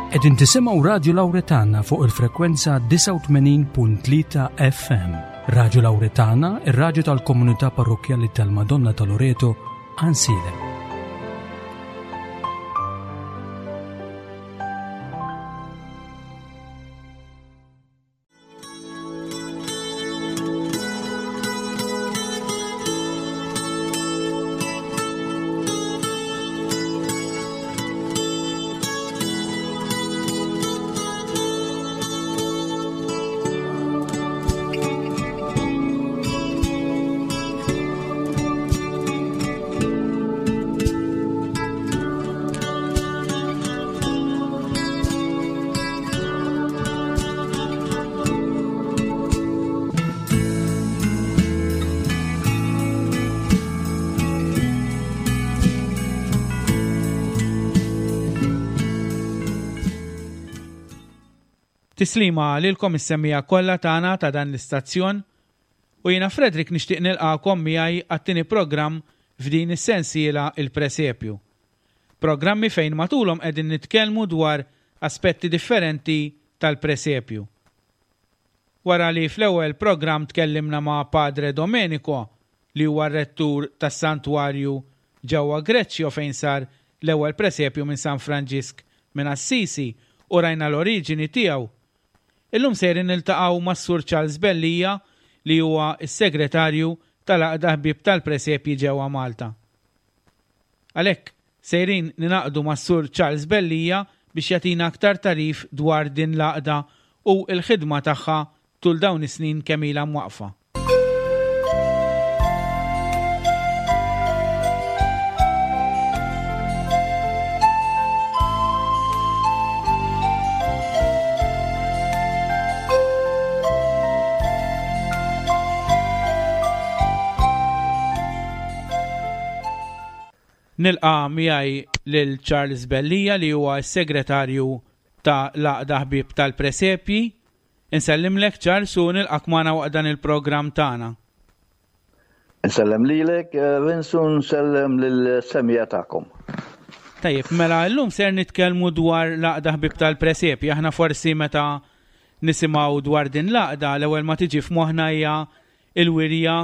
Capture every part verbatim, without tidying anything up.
Qegħdin tisimgħu Radju Lawretana fuq il-frekwenza disgħa u tmenin punt tlieta F M. Radju Lawretana, ir-radju tal-komunità parrokkjali tal-Madonna ta' Loreto, Għajnsielem. Tislima lilkom is-semmija kollha tagħna ta' dan l-istazzjon u jiena Frederick nixtieq nilqakom miegħi għat-tieni programm f'din is-sensiela Il-Presepju. Programmi fejn matulhom qegħdin nitkellmu dwar aspetti differenti tal-presepju. Wara li fl-ewwel programm tkellimna ma' Padre Domenico li huwa r-rettur tas-santwarju ġewwa Greċjo fejn sar l-ewwel presepju minn San Franġisk minn Assisi u rajna l-oriġini tiegħu. Illum sejrin niltaqgħu mas-Sur Charles Bellija li huwa s-segretarju tal-Għaqda Ħbieb tal-Presepji ġewwa Malta. Għalhekk sejrin ninaqdu mas-Sur Charles Bellija biex jagħtina aktar tarif dwar din l-għaqda u l-ħidma tagħha tul dawn is-snin kemm ilha mwaqfa. Nilqa' miegħi lil Charles Bellija li huwa s-segretarju ta' l-Għaqda Ħbieb tal-Presepji. Insellimlek Charles u nilqak magħna waqt dan il-programm tagħna. Insellem lilek, eh, Vince, u nsellem lill-semija tagħkom. Tajjeb, mela llum ser nitkellmu dwar l-Għaqda Ħbieb tal-Presepji. Aħna forsi meta nisimgħu dwar din l-għaqda, l-ewwel ma tiġi f'moħħna hija l-wirja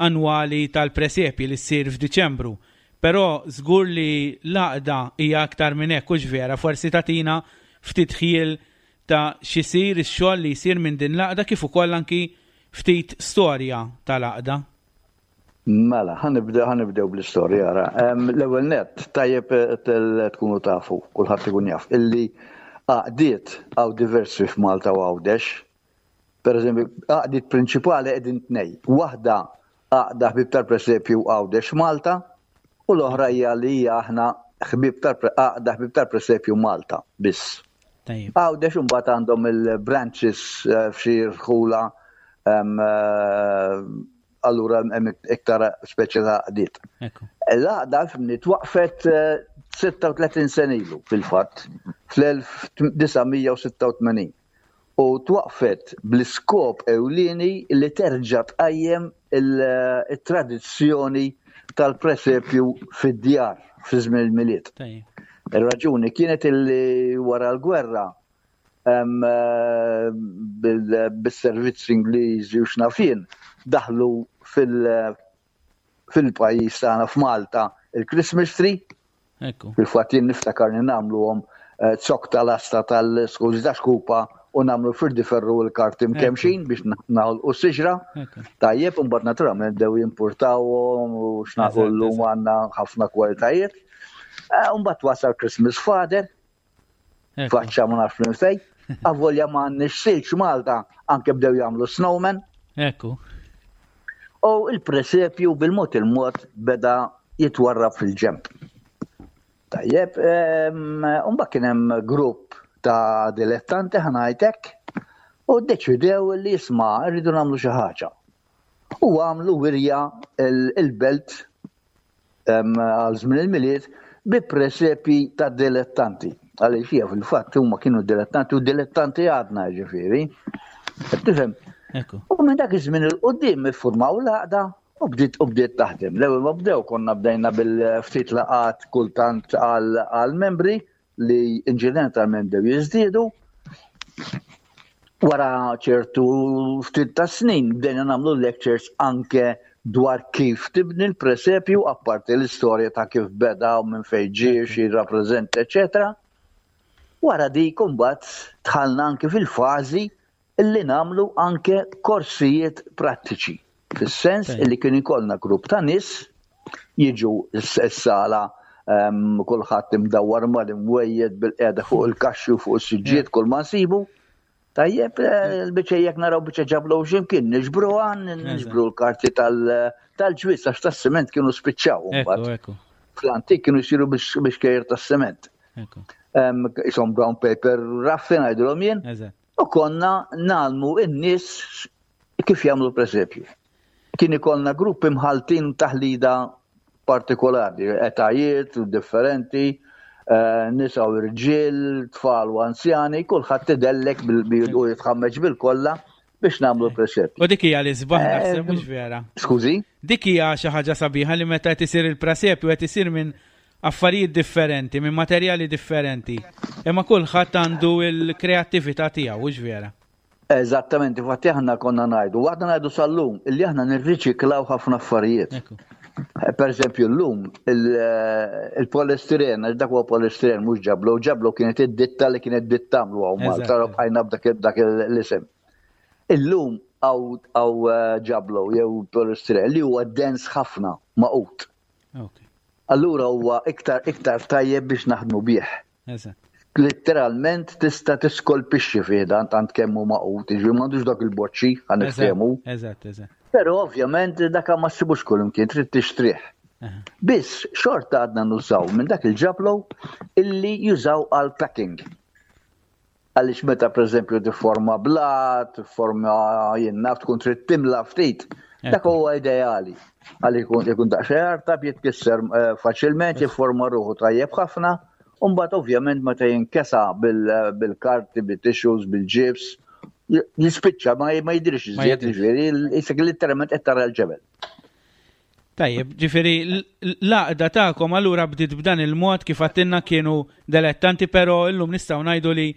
annwali tal-presepji li ssir f'Diċembru. Però żgur li l-għaqda hija aktar minn hekk, hux vera, forsi tagħtina ftit ħjiel ta' x'isir ix-xogħol li jsir minn din l-għaqda kif ukoll anki ftit storja tal-għaqda. Mela, ħanibdew, ħanibdew bl-istorja ara. Em, l-ewwel nett tajjeb tkunu tafu, kulħadd ikun jaf, illi għaqdiet hawn diversi f'Malta u Għawdex. Per eżempju, għaqdiet prinċipali qegħdin tnej. Waħda Għaqda Ħbieb tal-Presepju Għawdex Malta u l-oħra hija li hija aħna ħbieb tal-pre-, Għaqda Ħbieb tal-Presepju Malta biss. Tajjeb. Għawdex imbagħad għandhom il-branches, eh, f'xi rħula, em, eh, allura hemm iktar speċi ta' għaqdiet. Ekku. L-għaqda fimni twaqfet, eh, sitta u tletin sena ilu fil-fatt, fl-elf disa' mija u sitta u tmenin. U twaqfet bl-iskop ewlieni li terġa' tqajjem il-, il-tradizzjoni tal-presepju fid-djar fi żmien il-Milied. Tajjeb. Ir-raġuni kienet illi wara l-gwerra, em, eh, bil-, bis-servizzi Ingliżi u x'nafien daħlu fil-, fil-pajjiż tagħna f'Malta il-Christmas tree. Ekku. Fil-fatt jien niftakar li nagħmluhom, eh, zokk tal-asta tal-skużi ta' xkupa u nagħmlu firdi ferru l-karti Ekku. mkemxin biex na-, naħolqu s-siġra. Ekku. Tajjeb, imbagħad naturalment bdew jimpurtawhom u x'naqulu Eżatt, llum eżatt. għandna ħafna kwalitajiet. Eh, imbagħad wasal Christmas Father. Ekku. Faċċa ma nafx minn fejn. Avolja ma għandniex silġ Malta, anke bdew jagħmlu snowman. Ekku. U il-presepju bil-mod il-mod beda jitwarrab fil-ġemp. Tajjeb, ehm, imbagħad kien hemm grupp ta' dilettanti ħanajtek u ddeċidew li jisma' rridu nagħmlu xi ħaġa. U għamlu wirja il-, il-belt, ehm, għal żmien il-Milied bi presepi ta' dilettanti. Għaliex hija fil-fatt huma kienu dilettanti u dilettanti għadna ġifieri. Qed tifhem? Ekku. U minn dak iż-żmien il quddiem iffurmaw l-għaqda u bdiet, u bdiet taħdem. L-ewwel ma bdew konna bdejna bil-ftit laqat kultant għal, għal membri, li inċidentalment bdew jiżdiedu. Wara ċertu ftit ta' snin bdejna nagħmlu lectures anke dwar kif tibni l-presepju, apparti l-istorja ta' kif beda u minn fejn ġie, xi jirrappreżenta, eċetera. Wara dik imbagħad dħalna anke fil-fażi illi nagħmlu anke korsijiet prattiċi. Fis-sens illi kien ikollna grupp ta' nies jiġu s-sala, ehm, kulħadd imdawwar mal-imwejjed, bil-qiegħda fuq il-kaxxi u fuq is-siġġiet, kull ma nsibu. Tajjeb, eh, l-biċċa jekk naraw biċċa ġablu x'imkien, niġbruha, niġbru l-karti tal-ġwież, għax tas-siment kienu spiċċaw mbagħad. Fl-antik kienu jsiru biex kejjer tas-siment. Isom brown paper raffi ngħidulhom jien. U konna ngħallmu n-nies kif jagħmlu presepju. Kien ikollna gruppi mħaltin, taħlida partikolari, etajiet differenti, eh, nisa u rġiel, tfal u anzjani, kulħadd idellek u jitħammeġ bil-kolla biex nagħmlu presepju. U dik hija li sbaħ eh, naħseb, mhux vera? Skużi? Dik hija xi ħaġa sabiħa li meta qed isir il-presepju qed isir minn affarijiet differenti, minn materjali differenti. Imma kulħadd għandu l-kreattività tiegħu, mhux vera? Eżattament, infatti aħna konna ngħidu, għadna ngħidu sal-lum, illi aħna nirriċiklaw ħafna affarijiet. Eh, per eżempju, l-lum, eh, il-polistiren, għax dak huwa polistiren, mhux ġablo, ġablo kienet id-ditta li kienet dittamlu hawn Malta, bqajna b'dak l-isem. Illum hawn eh, ġablo jew polistiren li huwa dens ħafna, magħqud. Allura huwa iktar iktar tajjeb biex naħdmu bih. Literalment tista' tiskolpixxi fih dan tant kemm hu magħqud, jiġifieri m'għandux dak il-boċċi, ħa niftehmu. Eżatt, eżatt. Però ovvjament dak ma ssibux kull imkien, trid tixtrih. Biss xorta għadna nużaw minn dak il-ġablo illi jużaw għal packing. Għaliex meta, pereżempju, tifforma blat, tifforma, jien naf, tkun trid timla ftit, dak huwa ideali. Għalli jkun ikun daqsxejn artab, jitkisser eh, faċilment, jifforma ruħu tajjeb ħafna. Umbagħad ovvjament meta jinkesa bil-karti, bil-tissues, bil-ġibs, jispiċċa ma jidhirx iżjed, ġifieri jisek literalment qed tara l-ġebel. Tajjeb, ġifieri l-għaqda tagħkom allura bdiet b'dan il-mod, kif għedtilna kienu dilettanti, però illum nistgħu ngħidu li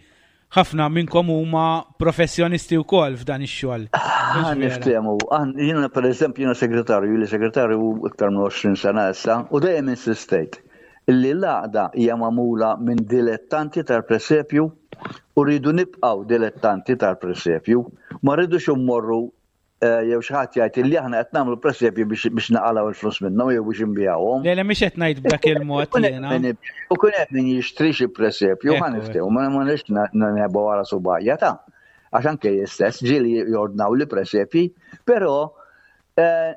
ħafna minnkom huma professjonisti wkoll f'dan ix-xogħol. Ħa niftehmu, jiena, per eżempju, jiena segretarju, li segretarju iktar minn għoxrin sena issa, u dejjem insistejt illi l-għaqda hija magħmula minn dilettanti tal-presepju u rridu nibqgħu dilettanti tal-presepju, ma rridux immorru eh, jew xi ħadd jgħid li aħna qed nagħmlu presepju biex naqalgħu il-flus minnhom jew biex inbigħuhom. Le, le, mhix qed ngħid b'dak il-mod jiena. U kun hemm min jixtri xi presepju, ħa niftehmu, ma nix neħbu wara subgħajja ta' għax anke stess ġieli jordnaw li presepji, però eh,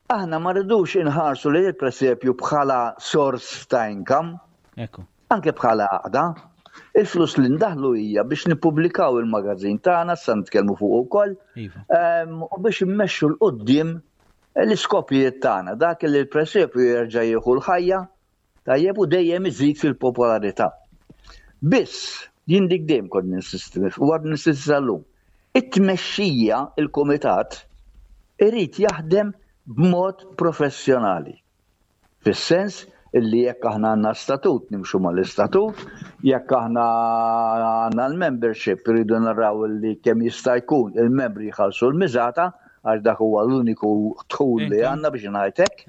aħna ma rridux inħarsu li il-presepju bħala sors ta' income. Ekku. Anke bħala għaqda. Il-flus li ndaħlu hija biex nippubblikaw il-magazin tagħna, sa nitkellmu fuq ukoll, Iva. u biex immexxu 'l quddiem l-iskopijiet tagħna, dak li l-presepju jerġa' jieħu l-ħajja, tajjeb, u dejjem iżid fil-popolarità. Biss, jien dik dejjem kont ninsisti, u għad ninsisti sal-lum. It-tmexxija, il-kumitat, irid jaħdem b'mod professjonali. Fis-sens illi jekk aħna għandna statut, nimxu mal-istatut, jekk aħna għandna l-membership, rridu naraw li kemm jista' jkun il-membri jħallsu l-miżata, għax dak huwa l-uniku dħul li għandna, biex ngħidlek.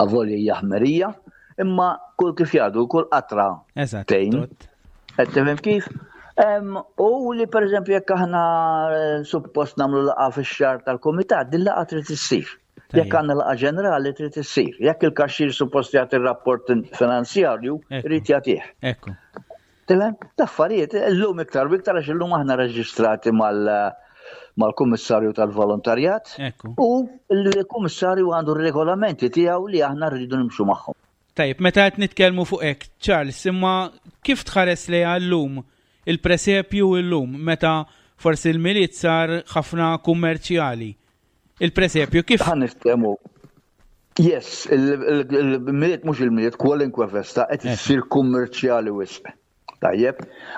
Avolja hija ħmerija, imma kull, kif jgħidu, kull qatra Eżatt. tgħin. Qed tifhem kif? U li, per eżempju, jekk aħna eh, suppost nagħmlu laqgħa fix-xahar tal-kumitat, din laqgħa trid issir. Jekk għandna laqgħa ġenerali, trid issir. Jekk il-kaxxir suppost jagħti r-rapport finanzjarju, irid jagħtih. Ekku. Tifhem? L-affarijiet illum iktar u iktar, għax illum aħna reġistrati mal mal-Kummissarju tal-Volontarjat Ekku. u l-Kummissarju għandu r-regolamenti tiegħu li aħna rridu nimxu magħhom. Tajjeb, meta qed nitkellmu fuq hekk, Charles, imma kif tħares li llum il-presepju illum, meta forsi l-Milied sar ħafna kummerċjali? Il-presepju kif? Ħa niftehmu. Yes, il-Milied, mhux il-Milied, kwalunkwe festa qed issir kummerċjali wisq. Tajjeb,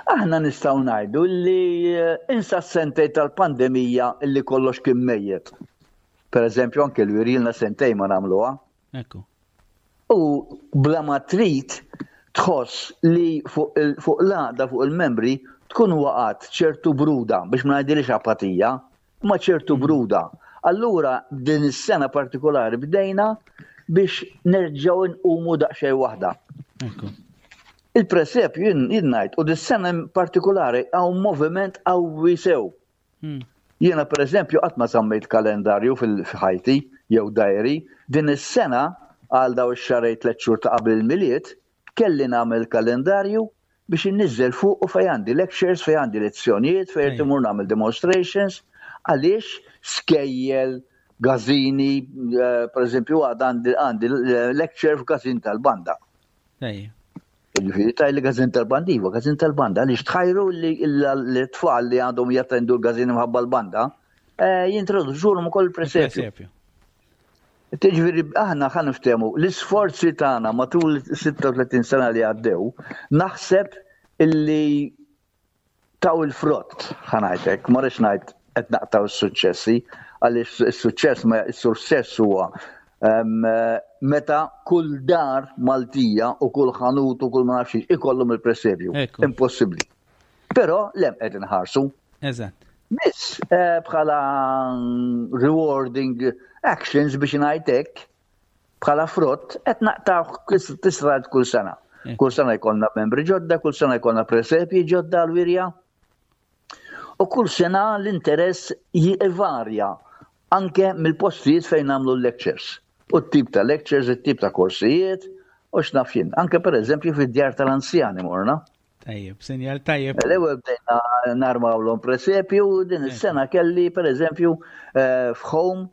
aħna nistgħu ngħidu li eh, insa s-sentej tal-pandemija illi kollox kien mejjet. Per eżempju, anke l-wirilna sentej ma nagħmluha. Ekku. U bla ma trid Tħoss li fuq l-għaqda, fuq il-membri, tkun waqgħet ċertu bruda, biex ma ngħidilix apatija, ma ċertu mm. bruda. Allura din is-sena partikolari bdejna biex nerġgħu nqumu daqsxejn waħda. Il-presepju jien ngħid u dis-sena partikolari hawn moviment qawwi sew. Hmm. Jiena pereżempju qatt ma żammejt kalendarju fil-ħajti jew diary, din is-sena għal daw ix-xahrejn tliet xhur ta' qabel il-Milied kelli nagħmel kalendarju biex inniżżel fuq u fej għandi lectures, fej għandi lezzjonijiet, fej imur nagħmel demonstrations, għaliex skejjel, gazini, eh, per eżempju għandi għandi lecture f'gazin tal-banda. Ġifieri taj li gazin tal-banda, iva, gazin tal-banda, għaliex tħajru li l-tfal li għandhom jattendu l-gazin mħabba l-banda, eh, jintroduċuhom ukoll il-presepju. Ġifieri, aħna ħa niftehmu, l-isforzi tagħna matul sitta u tletin sena li għaddew, naħseb illi taw il-frott, ħa ngħidlek, ma rridx ngħid qed naqtaw is-suċċessi, għaliex is-suċċess ma is-suċċess huwa meta kull dar Maltija u kull ħanut u kull ma nafx ikollhom il-presepju. Impossibbli. Però lem qed inħarsu. Eżatt. Biss eh, bħala rewarding actions biex ngħidlek bħala frott qed naqtaw tisrad kull sena. Kull sena jkollna membri ġodda, kull sena jkollna presepji ġodda għal-wirja. U kull sena l-interess jivarja anke mill-postijiet fejn nagħmlu l-lectures. U t-tip ta' lectures, it-tip ta' korsijiet, u x'naf jien. Anke per eżempju fid-djar tal-anzjani morna. Tajjeb, sinjal tajjeb. L-ewwel bdejna narmawlhom presepju, din is-sena kelli per eżempju eh, f'home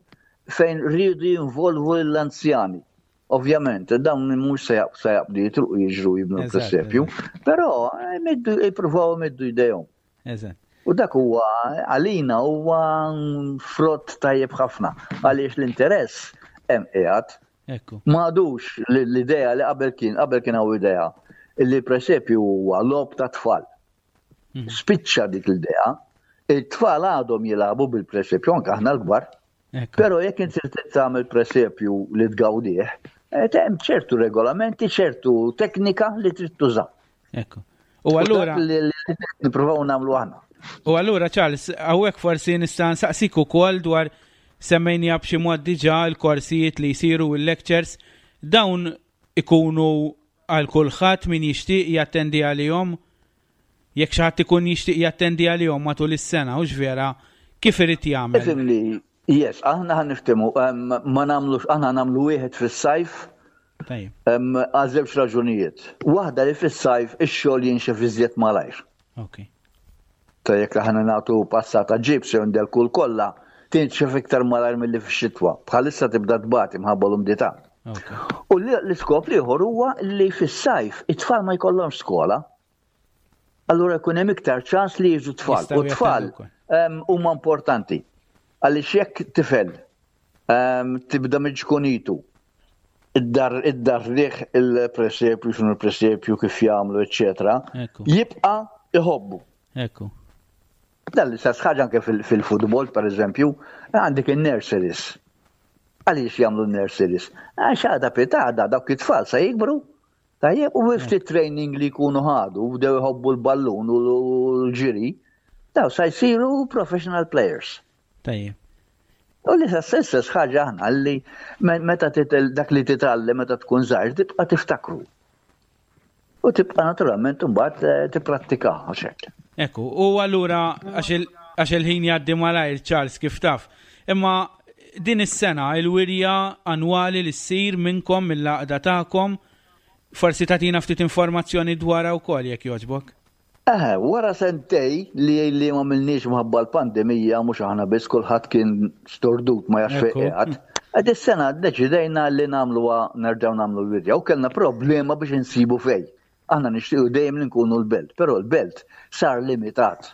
fejn rridu jinvolvu l-anzjani. Ovvjament, dawn mhux se jaqbdu jitruqu jiġru jibnu presepju, però eh, jippruvaw imiddu jdejhom. U dak huwa għalina huwa frott tajjeb ħafna għaliex l-interess hemm qiegħed. M'għadux l-idea li qabel kien qabel kien hawn idea li presepju huwa logħob ta' tfal. Mhm. Spiċċa dik l-idea, it-tfal għadhom jilagħbu bil-presepju anke aħna l-kbar. Però jekk inti trid tagħmel presepju li tgawdih, eh, hemm ċertu regolamenti, ċertu teknika li trid tuża. Ekku. U allura li nippruvaw nagħmlu aħna. U allura Charles, hawnhekk forsi nista' nsaqsik ukoll dwar semmejna b'xi mod diġà l-korsijiet li jsiru il-lectures, dawn ikunu għal kulħadd min jixtieq jattendi għalihom, jekk xi ħadd ikun jixtieq jattendi għalihom matul is-sena, hux vera, kif irid jagħmel? Ifhimni, yes, aħna ħa niftehmu, ma nagħmlux, aħna nagħmlu wieħed fis-sajf. Għal żewġ raġunijiet. Waħda li fis-sajf ix-xogħol jinxef iżjed malajr. Ok. Ta' jekk aħna nagħtu passata ġibs jew ndelku kollha, tinxef iktar malajr milli fix-xitwa. Bħalissa tibda tbati mħabba l-umdità. U l-iskop l-ieħor huwa li fis-sajf it-tfal ma jkollhomx skola. Allura jkun hemm iktar ċans li jiġu tfal. U tfal huma importanti. Għaliex jekk tifel tibda minn ċkunitu, id-dar id-dar il-presepju, x'inhu l-presepju, kif jagħmlu, eċetera, jibqa' iħobbu. Ekku. Dan l-istess ħaġa anke fil-futbol, per eżempju, għandek in-nurseries. Għaliex jagħmlu n-nurseries? Għax għada pitgħada dawk it-tfal sa jikbru. Tajjeb, u ftit training li jkunu ħadu, bdew iħobbu l-ballun u l-ġiri, daw sa jsiru professional players. Tajjeb. U li stess ħaġa aħna li meta dak li titgħallem meta tkun żgħir tibqa' tiftakru. U tibqa' naturalment imbagħad eh, tipprattika għax Ekku, u allura għax il-ħin jgħaddi malajr, Charles, kif taf. Imma din is-sena il-wirja annwali li ssir minnkom mill-għaqda tagħkom, forsi tagħtina ftit informazzjoni dwarha wkoll jekk jogħġbok. Eh, wara sentejn li li ma għamilniex minħabba l-pandemija, mhux aħna biss, kulħadd kien stordut ma jafx fejn qiegħed. Għad is-sena deċidejna li nagħmluha, nerġgħu nagħmlu l-wirja u kellna problema biex insibu fej. Aħna nixtiequ dejjem li nkunu l-Belt, però l-Belt sar limitat.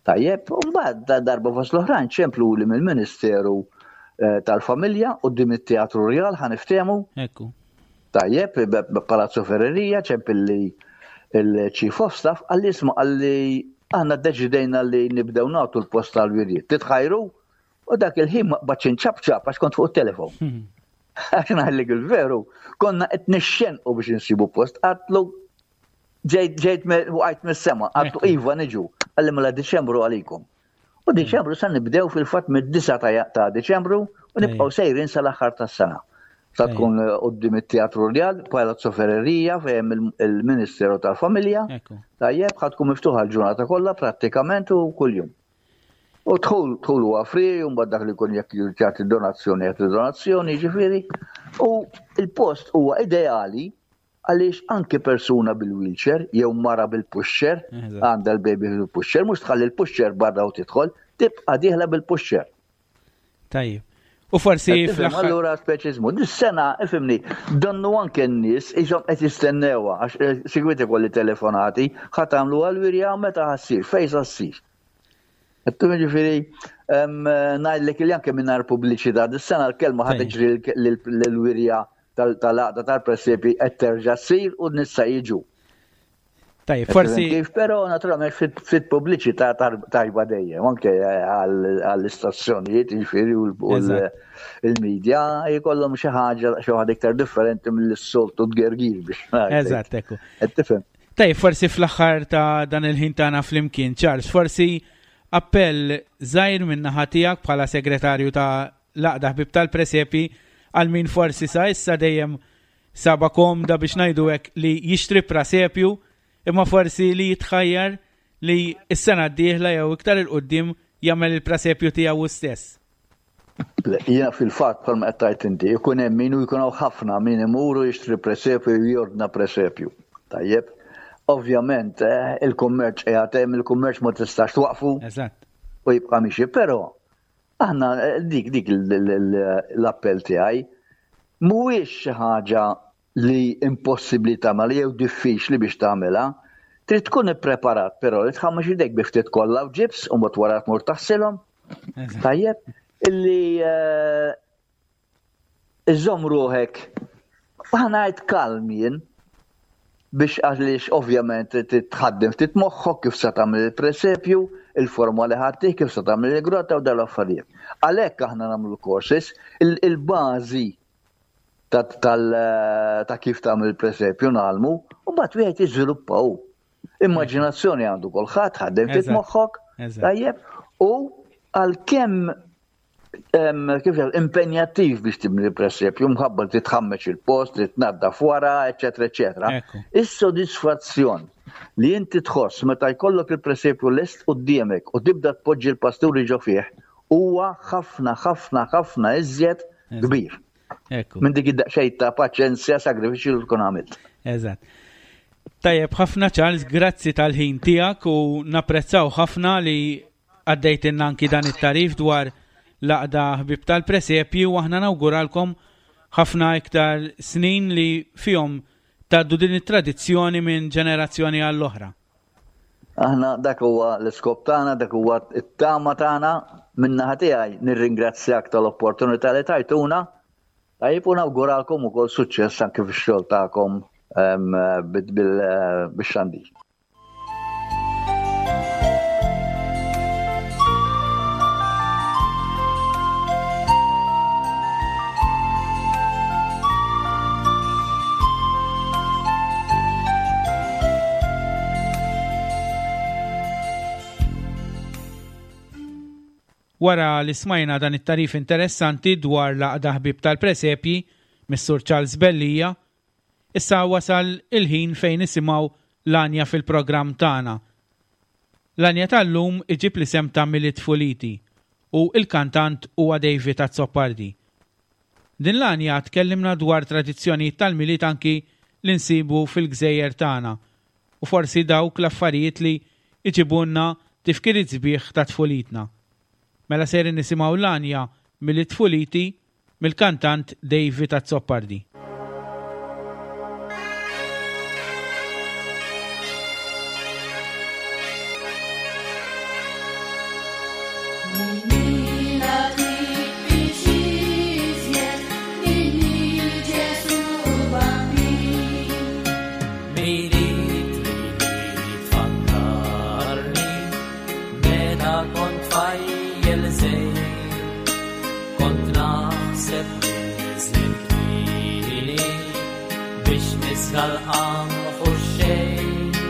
Tajjeb, u mbagħad darba fost l-oħrajn ċemplu li mill-Ministeru eh, tal-Familja u it-Teatru Rjal, ħa niftehmu. Ekku. Tajjeb, Palazzo Ferreria, ċempilli il-Chief of Staff, qalli, "Isma'," qalli, "aħna deċidejna li nibdew nagħtu l-post tal-wirjiet. Titħajru?" U dak il-ħin ma qbadtx inċapċap għax kont fuq il-telefon. Għax ngħidlek il-veru, konna qed nixxenqu biex insibu post, għedtlu Ġejt ġejt waqajt mis-sema, għedtlu iva niġu, qalli mela Diċembru għalikom. U Diċembru sa nibdew fil-fatt mid-disgħa ta' Diċembru u nibqgħu sejrin sal-aħħar tas-sena. Sa tkun quddiem it-Teatru Rjal, Palazzo Ferreria, fejn il-Ministeru tal-Familja. Tajjeb, ħa tkun miftuħa l-ġurnata kollha prattikament u kuljum. U dħul, dħul huwa free, u mbagħad dak li jkun jekk jagħti donazzjoni jagħti donazzjoni, ġifieri. U il-post huwa ideali għaliex anke persuna bil-wheelchair jew mara bil-pusher, għandha l-baby bil-pusher, mhux tħalli l-pusher barra u tidħol, tibqa' dieħla bil-pusher. Tajjeb. U forsi fl-aħħar. Allura speċiżmu. Dis-sena, ifhimni, donnu anke n-nies iżhom qed jistennewha għax sikwit ikolli telefonati, ħa tagħmlu għall-wirja meta ħa ssir, fejn sa ssir. Għattu ġifieri, ngħidlek li anke mingħajr pubbliċità, dis-sena l-kelma ħa tiġri l-wirja tal-għaqda tal-presepi qed terġa' ssir u n-nies sa jiġu. Tajjeb, forsi. Kif, però naturalment fit pubbliċità tajba dejjem, anke għall-istazzjonijiet, ġifieri u l-media jkollhom xi ħaġa xi ħaġa iktar differenti mill-soltu tgergir biex ngħid. Eżatt, ekku. Qed tifhem. Tajjeb, forsi fl-aħħar ta' dan il-ħin tagħna flimkien, Charles, forsi appell żgħir minn naħa tiegħek bħala segretarju ta' l-Għaqda Ħbieb tal-Presepi għal min forsi sa issa dejjem saba komda biex ngħidu hekk li jixtri presepju, imma forsi li jitħajjar li s-sena d-dieħla jew iktar il-qudiem jagħmel il-presepju tiegħu stess. Le, jiena fil-fatt bħalma qed tgħid inti, ikun hemm min u jkun hawn ħafna min imuru jixtri presepju u jordna presepju. Tajjeb. Ovvjament, eh, il-kummerċ qiegħed hemm, il-kummerċ ma tistax twaqfu. Eżatt. U jibqa' miexi, però aħna dik, dik l-appell tiegħi mhuwiex xi ħaġa li impossibbli tagħmel jew diffiċli biex tagħmilha. Trid tkun ippreparat però li tħammax idejk bi ftit kollha u ġibs u mbagħad wara tmur taħsilhom. Tajjeb, illi, eh, iżomm ruħek aħna ngħid kalm jien biex għaliex ovvjament titħaddem ftit moħħok kif se tagħmel il-presepju, il-forma li ħaddih, kif se tagħmel il-grotta u dal affarijiet. Għalhekk aħna nagħmlu courses, il-bażi ta' kif tagħmel il-presepju nagħmlu, u mbagħad wieħed jiżviluppa hu. Immaġinazzjoni għandu kulħadd, ħaddem ftit moħħok, tajjeb, u għalkemm kif jgħid, impenjattiv biex tibni l-presepju, mħabba li titħammeġ il-post, li tnaddaf wara, eċetera, eċetera. Is-sodisfazzjon li inti tħoss meta jkollok il-presepju lest quddiemek u tibda tpoġġi l-pasturi ġo fih, huwa ħafna, ħafna, ħafna iżjed kbir. Minn dik id-daqsxejn ta' paċenzja, sagrifiċċju li tkun għamilt. Eżatt. Tajjeb ħafna Charles, grazzi tal-ħin tiegħek u napprezzaw ħafna li għaddejtilna anki dan it-tarif dwar l-Għaqda Ħbieb tal-Presepju u aħna nawguralkom ħafna iktar snin li fihom tgħaddu din it-tradizzjoni minn ġenerazzjoni għall-oħra. Aħna dak huwa l-iskop tagħna, dak huwa t-tama tagħna. Min-naħa tiegħi nirringrazzjak tal-opportunità li tajtuna. Tajjeb u nawguralkom ukoll suċċess anke fix-xogħol tagħkom bix-xandir. Wara li smajna dan it-tarif interessanti dwar l-Għaqda Ħbieb tal-Presepji mis-Sur Charles Bellija, issa wasal il-ħin fejn nisimgħu l-għanja fil-programm tagħna. L-għanja tal-lum iġib l-isem ta' Milied Fuliti u il-kantant huwa David Azzopardi. Din l-għanja tkellimna dwar tradizzjonijiet tal-Milied anki li nsibu fil-gżejjer tagħna u forsi dawk l-affarijiet li iġibunna tifkiriet sbieħ ta' tfulitna. Mela sejrin nisimgħu l-għanja Milied Fuliti mill-kantant David Azzopardi. Dal-qamħ u xejn.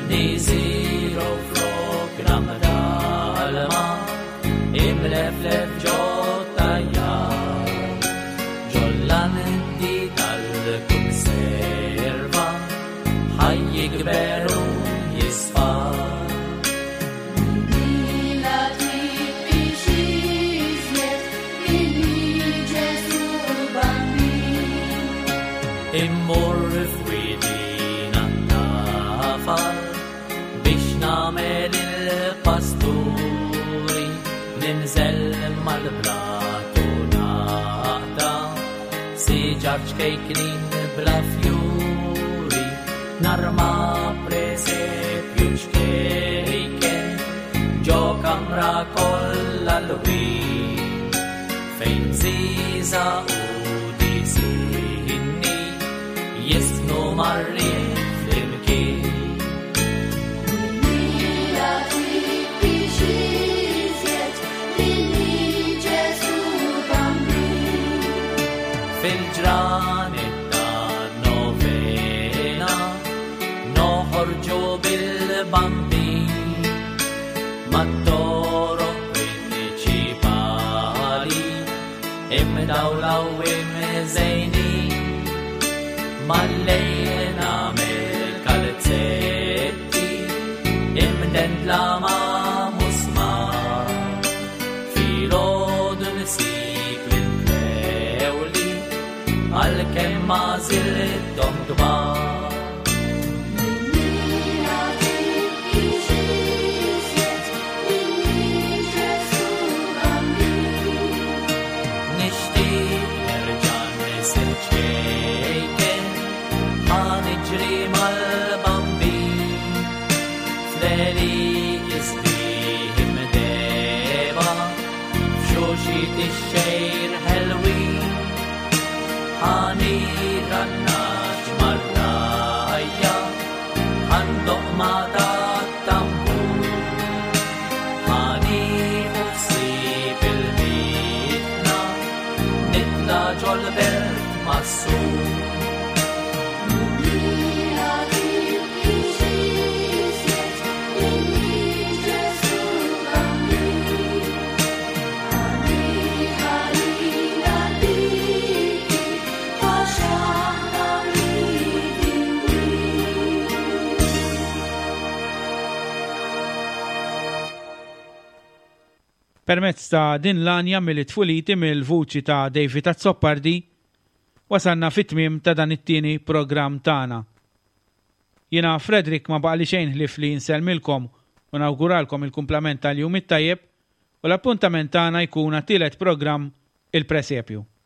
Niżiru flok namdalma imleflef ġot-tajjar ġol-landi tal-kunserva ħaj jikber u jisfar. Mila tibkix iżjed milli Ġesù Bambin. Immur f'widina tafal biex nagħmel il-pasturi ninżel mal-blatu naqta siġar ċkejknin bla fjuri narma presepju ċkejken ġo kamra kollha lwien fejn bżiża u disinni jisnu marrien flimkien. Mila tibkix iżjed milli Ġesù Bambin. Fil-ġranet ta' novena noħorġu bil-bambin mat-toroq prinċipali imdawla u imżejnin mal-lejl nagħmel kalzetti imdendla ma' musmar filgħodu nsib l-intlewli għalkemm ma żilthom kbar. Mila tibkix iżjed milli Ġesù Bambin. Nixtieq nerġa' nisir ċkejken ħa niġri mal-bambin fl-għelieqi sbieħ imdehba f'xuxit ix-xgħir ħelwin ħa nirgħa n-nagħaġ mar-rgħajja ħa ndoqq ma' tat-tambur ħa nieħu ħsieb il-mitna nitla' ġol-belt mas-sur. Mila tibkix iżjed milli Ġesù Bambin. Ħalli ħalina tibki għax aħna midinbin. Permezz ta' din l-għanja mill-tfuliti mill-vuċi ta' David Azzopardi, wasalna fit-tmiem ta' dan it-tieni programm tagħna. Jiena Frederick ma baqali xejn ħlief li nsellmilkom u nawguralkom il-kumplament tal-jum it-tajjeb u l-appuntament tagħna jkun għat-tielet programm, Il-Presepju.